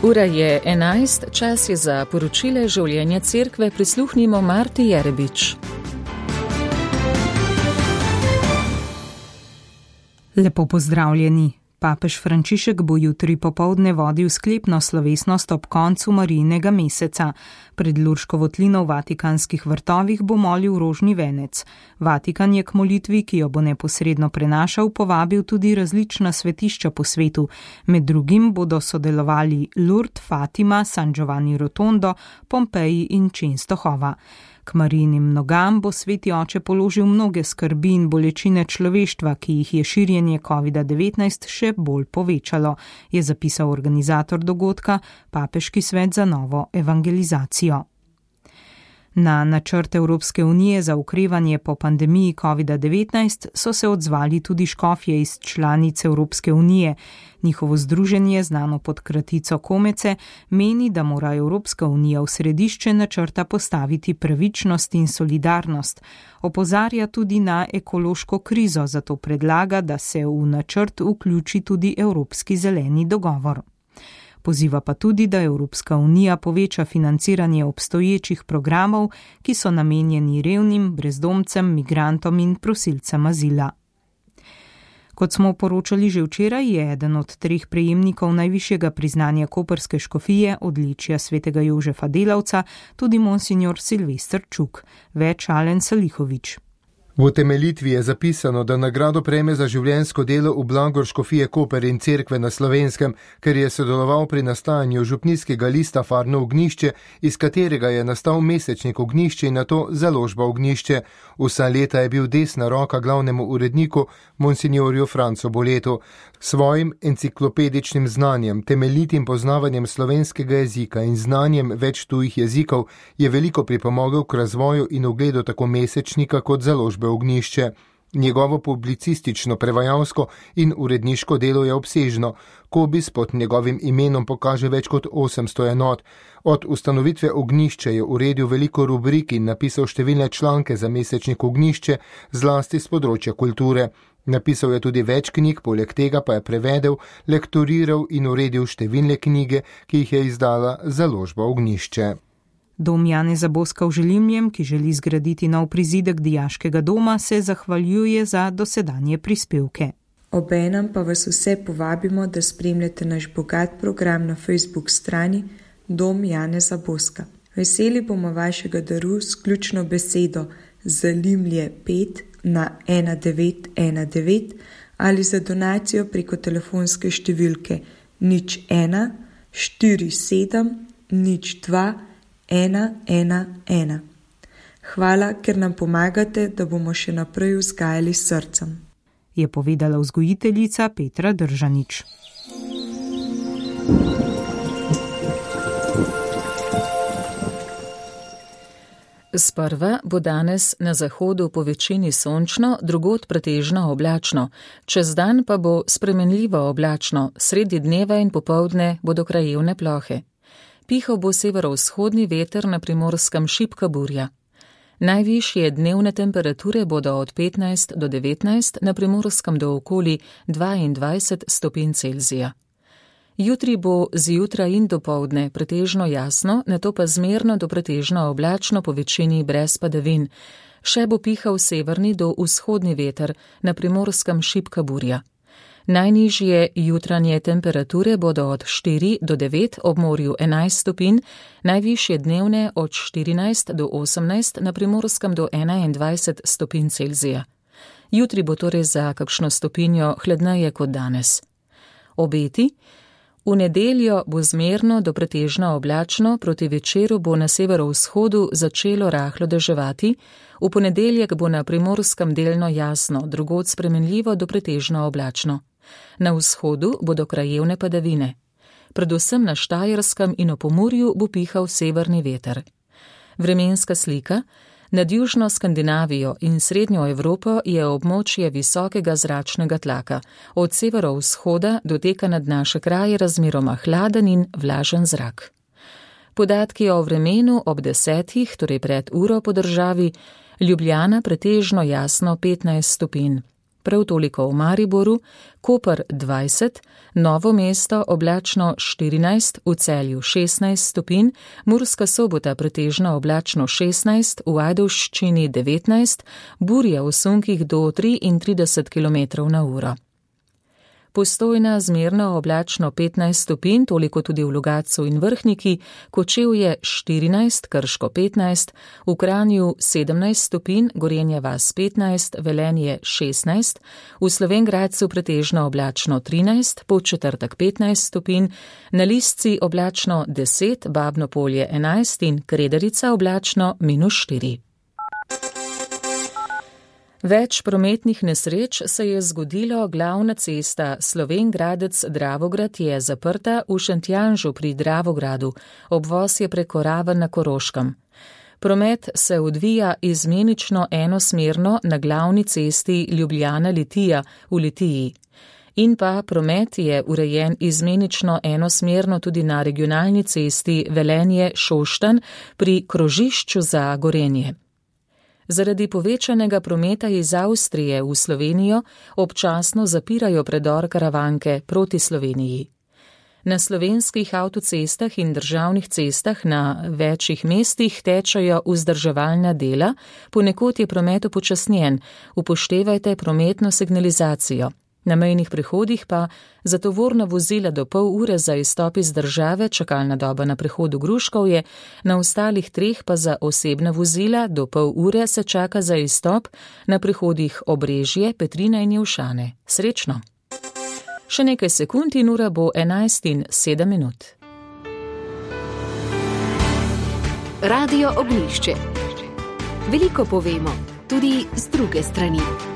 Ura je 11, čas je za poročile življenja cerkve, prisluhnimo Marti Jerebič. Lepo pozdravljeni. Papež Frančišek bo jutri popoldne vodil sklepno slovesnost ob koncu Marijinega meseca. Pred Lurško votlino v Vatikanskih vrtovih bo molil rožni venec. Vatikan je k molitvi, ki jo bo neposredno prenašal, povabil tudi različna svetišča po svetu. Med drugim bodo sodelovali Lourdes, Fatima, San Giovanni Rotondo, Pompeji in Częstochowa. K Marijinim nogam bo sveti oče položil mnoge skrbi in bolečine človeštva, ki jih je širjenje COVID-19 še bolj povečalo, je zapisal organizator dogodka, Papeški svet za novo evangelizacijo. Na načrt Evropske unije za okrevanje po pandemiji COVID-19 so se odzvali tudi škofje iz članic Evropske unije. Njihovo združenje, znano pod kratico Komece, meni, da mora Evropska unija v središče načrta postaviti pravičnost in solidarnost. Opozarja tudi na ekološko krizo, zato predlaga, da se v načrt vključi tudi Evropski zeleni dogovor. Poziva pa tudi, da Evropska unija poveča financiranje obstoječih programov, ki so namenjeni revnim, brezdomcem, migrantom in prosilcem azila. Kot smo poročali že včeraj, je eden od 3 prejemnikov najvišjega priznanja koprske škofije, odličja svetega Jožefa Delavca, tudi monsignor Silvester Čuk, več Alen Salihovič. V utemeljitvi je zapisano, da nagrado prejme za življenjsko delo v blagor škofije Koper in cerkve na Slovenskem, ker je sodeloval pri nastajanju župnijskega lista Farno Ognjišče, iz katerega je nastal mesečnik Ognjišče in nato založba Ognjišče. Vsa leta je bil desna roka glavnemu uredniku, monsignorju Francu Boletu. Svojim enciklopedičnim znanjem, temeljitim poznavanjem slovenskega jezika in znanjem več tujih jezikov je veliko pripomogel k razvoju in ugledu tako mesečnika kot založbe Ognjišče. Njegovo publicistično, prevajalsko in uredniško delo je obsežno. Kobis pod njegovim imenom pokaže več kot 800 enot. Od ustanovitve Ognjišče je uredil veliko rubrik in napisal številne članke za mesečnik Ognjišče, zlasti z področja kulture. Napisal je tudi več knjig, poleg tega pa je prevedel, lektoriral in uredil številne knjige, ki jih je izdala založba Ognjišče. Dom Janeza Boska v Želimljem, ki želi zgraditi nov prizidek dijaškega doma, se zahvaljuje za dosedanje prispevke. Obenem pa vas vse povabimo, da spremljate naš bogat program na Facebook strani Dom Janeza Boska. Veseli bomo vašega daru s ključno besedo Zalimlje 5 na 1919 ali za donacijo preko telefonske številke 01 47 02 111. Hvala, ker nam pomagate, da bomo še naprej vzgajali s srcem, je povedala vzgojiteljica Petra Držanič. Sprva bo danes na zahodu po večini sončno, drugod pretežno oblačno, čez dan pa bo spremenljivo oblačno, sredi dneva in popoldne bodo krajevne plohe. Pihal bo severovzhodni veter, na Primorskem šibka burja. Najvišje dnevne temperature bodo od 15 do 19, na Primorskem do okoli 22 stopinj Celzija. Jutri bo zjutraj in dopoldne pretežno jasno, nato pa zmerno do pretežno oblačno, po večini brez padavin. Še bo pihal severni do vzhodni veter, na Primorskem šibka burja. Najnižje jutranje temperature bodo od 4 do 9, ob morju 11 stopinj, najvišje dnevne od 14 do 18, na Primorskem do 21 stopinj Celzija. Jutri bo torej za kakšno stopinjo hladneje kot danes. Obeti: v nedeljo bo zmerno do pretežno oblačno, proti večeru bo na severovzhodu začelo rahlo deževati, v ponedeljek bo na Primorskem delno jasno, drugod spremenljivo do pretežno oblačno. Na vzhodu bodo krajevne padavine. Predvsem na Štajerskem in v Pomurju bo pihal severni veter. Vremenska slika: nad južno Skandinavijo in srednjo Evropo je območje visokega zračnega tlaka. Od severovzhoda doteka nad naše kraje razmeroma hladen in vlažen zrak. Podatki o vremenu ob 10, torej pred uro po državi: Ljubljana pretežno jasno 15 stopinj. prav toliko v Mariboru, Koper 20, Novo mesto oblačno 14, v Celju 16 stopinj, Murska Sobota pretežno oblačno 16, v Ajdovščini 19, burja v sunkih do 33 km/h. Postojna zmerno oblačno 15 stopinj, toliko tudi v Logatcu in Vrhniki, Kočevje 14, Krško 15, v Kranju 17 stopinj, Gorenja vas 15, Velenje 16, v Slovenj Gradcu pretežno oblačno 13, Podčetrtek 15 stopinj, na Lisci oblačno 10, Babno Polje 11 in Kredarica oblačno -4. Več prometnih nesreč se je zgodilo, glavna cesta Slovenj Gradec-Dravograd je zaprta, v Šentjanžu pri Dravogradu, obvoz je preko Raven na Koroškem. Promet se odvija izmenično enosmerno na glavni cesti Ljubljana-Litija v Litiji. In pa promet je urejen izmenično enosmerno tudi na regionalni cesti Velenje-Šoštanj pri krožišču za Gorenje. Zaradi povečanega prometa iz Avstrije v Slovenijo občasno zapirajo predor Karavanke proti Sloveniji. Na slovenskih avtocestah in državnih cestah na večjih mestih tečejo vzdrževalna dela, ponekod je promet upočasnjen, upoštevajte prometno signalizacijo. Na mejnih prehodih pa za tovorna vozila do pol ure za izstop iz države, čakalna doba na prehodu Gruškovje, na ostalih 3 pa za osebna vozila do pol ure se čaka za izstop na prehodih Obrežje, Petrina in Jelšane. Srečno! Še nekaj sekund in ura bo 11:07. Radio Ognjišče. Veliko povemo, tudi z druge strani.